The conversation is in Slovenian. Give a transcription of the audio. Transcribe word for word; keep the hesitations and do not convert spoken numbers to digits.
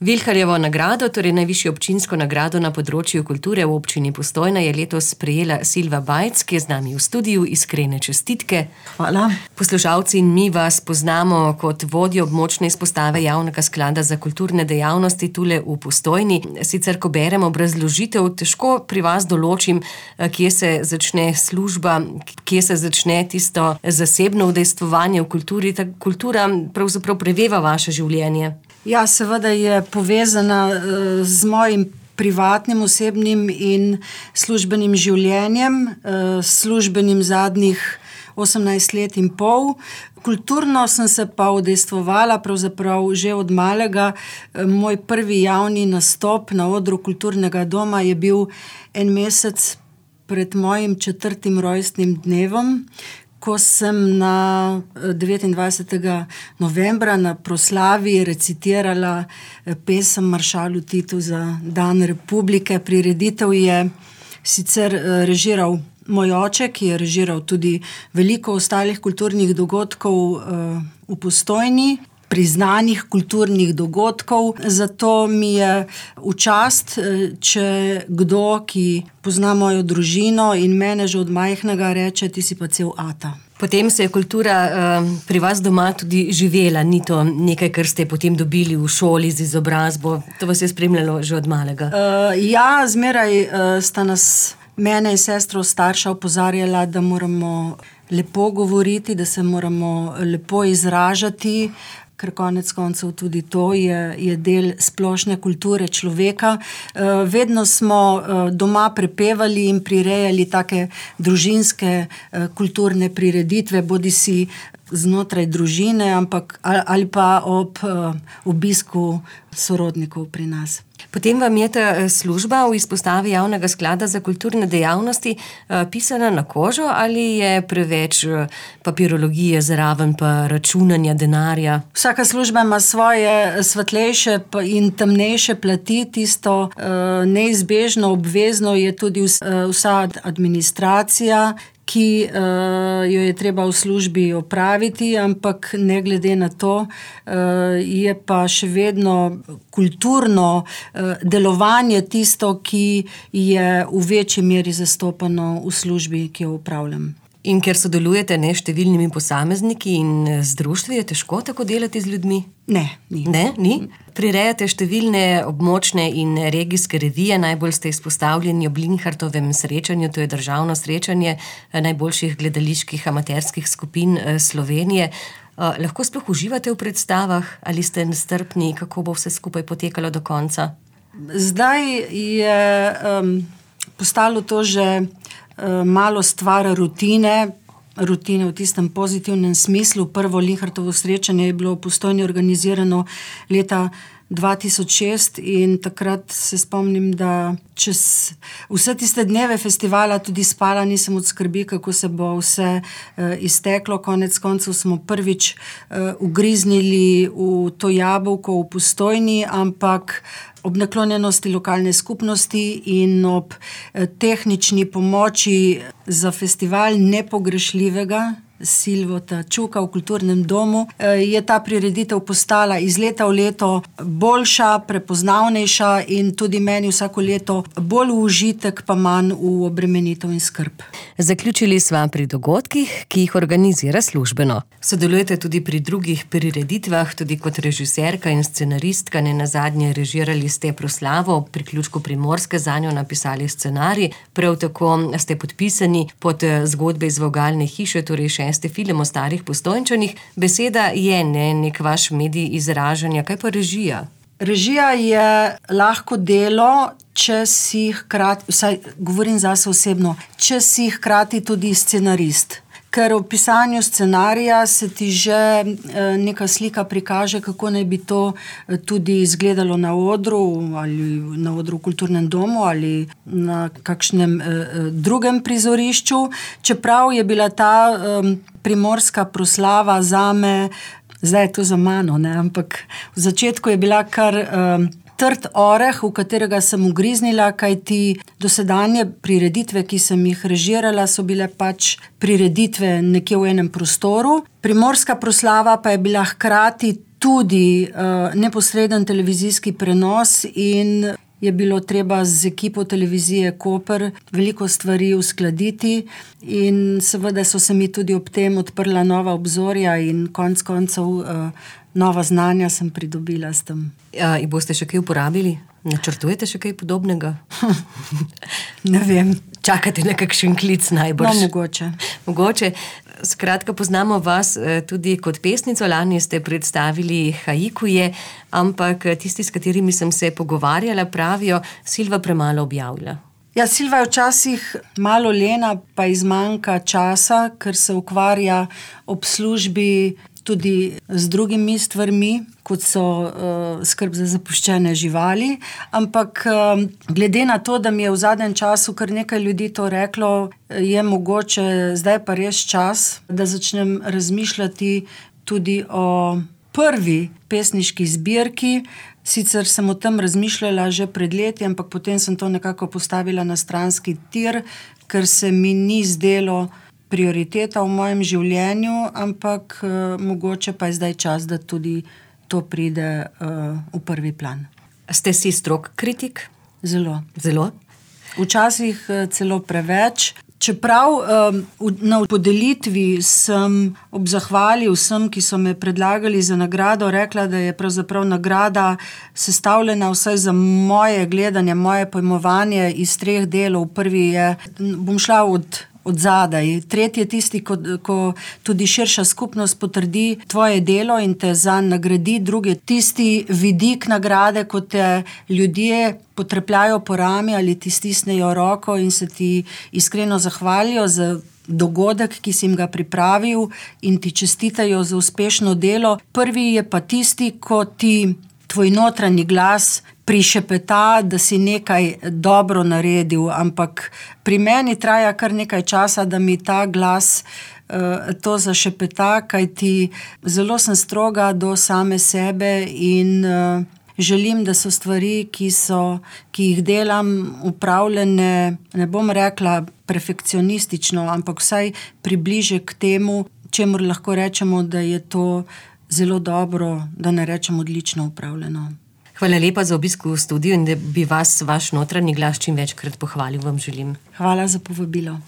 Vilharjevo nagrado, torej najvišjo občinsko nagrado na področju kulture v občini Postojna, je letos prejela Silva Bajc, ki je z nami v studiu. Iskrene čestitke. Hvala. Poslušalci in mi vas poznamo kot vodjo območne izpostave Javnega sklada za kulturne dejavnosti tule v Postojni. Sicer, ko berem obrazložitev, težko pri vas določim, kje se začne služba, kje se začne tisto zasebno udejstvovanje v kulturi. Ta kultura pravzaprav preveva vaše življenje. Ja, seveda je povezana z mojim privatnim, osebnim in službenim življenjem, službenim zadnjih osemnajst let in pol. Kulturno sem se pa udejstvovala pravzaprav že od malega. Moj prvi javni nastop na odru kulturnega doma je bil en mesec pred mojim četrtim rojstnim dnevom, ko sem na devetindvajsetega novembra na proslavi recitirala pesem Maršalu Titu za Dan republike. Prireditev je sicer režiral moj oče, ki je režiral tudi veliko ostalih kulturnih dogodkov v Postojni, priznanih kulturnih dogodkov. Zato mi je v čast, če kdo, ki pozna mojo družino in mene že od majhnega, reče, ti si pa cel ata. Potem se je kultura uh, pri vas doma tudi živela, ni to nekaj, kar ste potem dobili v šoli z izobrazbo, to vas je spremljalo že od malega? Uh, ja, zmeraj uh, sta nas, mene in sestro starša opozarjala, da moramo lepo govoriti, da se moramo lepo izražati, ker konec koncev tudi to je, je del splošne kulture človeka. Uh, vedno smo uh, doma prepevali in prirejali take družinske uh, kulturne prireditve, bodi si znotraj družine, ampak, ali, ali pa ob uh, obisku sorodnikov pri nas. Potem vam je ta služba v izpostavi Javnega sklada za kulturne dejavnosti pisana na kožo ali je preveč papirologije zraven pa računanja denarja? Vsaka služba ima svoje svetlejše in temnejše plati. Tisto neizbežno, obvezno je tudi vsa administracija, ki uh, jo je treba v službi opraviti, ampak ne glede na to, uh, je pa še vedno kulturno uh, delovanje tisto, ki je v večji meri zastopano v službi, ki jo upravljam. In ker sodelujete ne številnimi posamezniki in z društvi, je težko tako delati z ljudmi? Ne, ni. Ne, ni? Prirejate številne območne in regijske revije, najbolj ste izpostavljeni ob Linhartovem srečanju, to je državno srečanje najboljših gledaliških amaterskih skupin Slovenije. Lahko sploh uživate v predstavah ali ste nestrpni, kako bo vse skupaj potekalo do konca? Zdaj je um, postalo to že malo stvar rutine, rutine v tistem pozitivnem smislu. Prvo Linhartovo srečanje je bilo v Postojni organizirano leta dva tisoč šest in takrat se spomnim, da čez vse tiste dneve festivala tudi spala nisem od skrbi, kako se bo vse uh, izteklo. Konec koncev smo prvič uh, ugriznili v to jabolko v Postojni, ampak ob naklonjenosti lokalne skupnosti in ob eh, tehnični pomoči za festival nepogrešljivega Silvota Čuka v kulturnem domu, je ta prireditev postala iz leta v leto boljša, prepoznavnejša in tudi meni vsako leto bolj v užitek, pa manj v obremenitev in skrb. Zaključili sva pri dogodkih, ki jih organizira službeno. Sodelujete tudi pri drugih prireditvah, tudi kot režiserka in scenaristka, ne nazadnje režirali ste proslavo ob priključku Primorske, zanjo napisali scenarij, prav tako ste podpisani pod zgodbe iz Vogalne hiše, torej šesti film o starih Postojnčanih. Beseda je ne, nek vaš medij izražanja, kaj pa režija? Režija je lahko delo, če si hkrati, vsaj govorim zase osebno, če si hkrati tudi scenarist. Ker v pisanju scenarija se ti že neka slika prikaže, kako naj bi to tudi izgledalo na odru, ali na odru v kulturnem domu, ali na kakšnem drugem prizorišču. Čeprav je bila ta primorska proslava zame, zdaj je to za mano, ne? Ampak v začetku je bila kar trd oreh, v katerega sem ugriznila, kajti dosedanje prireditve, ki sem jih režirala, so bile pač prireditve nekje v enem prostoru. Primorska proslava pa je bila hkrati tudi uh, neposreden televizijski prenos in je bilo treba z ekipo televizije Koper veliko stvari uskladiti in seveda so se mi tudi ob tem odprla nova obzorja in konec koncev uh, nova znanja sem pridobila s tem. Ja, in boste še kaj uporabili? Načrtujete še kaj podobnega? Ne vem. Čakate na kakšen klic najbrž? No, mogoče. Mogoče. Skratka, poznamo vas tudi kot pesnico, lani ste predstavili haikuje, ampak tisti, s katerimi sem se pogovarjala, pravijo, Silva premalo objavlja. Ja, Silva je včasih malo lena, pa izmanjka časa, ker se ukvarja ob službi tudi z drugimi stvarmi, kot so uh, skrb za zapuščene živali, ampak uh, glede na to, da mi je v zadnjem času kar nekaj ljudi to reklo, je mogoče zdaj pa res čas, da začnem razmišljati tudi o prvi pesniški zbirki. Sicer sem o tem razmišljala že pred leti, ampak potem sem to nekako postavila na stranski tir, ker se mi ni zdelo prioriteta v mojem življenju, ampak uh, mogoče pa je zdaj čas, da tudi to pride uh, v prvi plan. Ste si strog kritik? Zelo. Zelo? Včasih uh, celo preveč. Čeprav um, na podelitvi sem ob zahvali vsem, ki so me predlagali za nagrado, rekla, da je pravzaprav nagrada sestavljena vsaj za moje gledanje, moje pojmovanje iz treh delov. Prvi je, bom šla od od zadaj. Tretji je tisti, ko, ko tudi širša skupnost potrdi tvoje delo in te zanj nagradi. Drugi je tisti vidik nagrade, ko te ljudje potrepljajo po rami ali ti stisnejo roko in se ti iskreno zahvalijo za dogodek, ki si jim ga pripravil in ti čestitajo za uspešno delo. Prvi je pa tisti, ko ti tvoj notranji glas prišepeta, da si nekaj dobro naredil, ampak pri meni traja kar nekaj časa, da mi ta glas uh, to zašepeta, kajti zelo sem stroga do same sebe in uh, želim, da so stvari, ki so, ki jih delam, upravljene, ne bom rekla perfekcionistično, ampak vsaj približe k temu, čemur lahko rečemo, da je to zelo dobro, da ne rečem odlično upravljeno. Hvala lepa za obisk v studiu in da bi vas vaš notranji glas čim večkrat pohvalil, vam želim. Hvala za povabilo.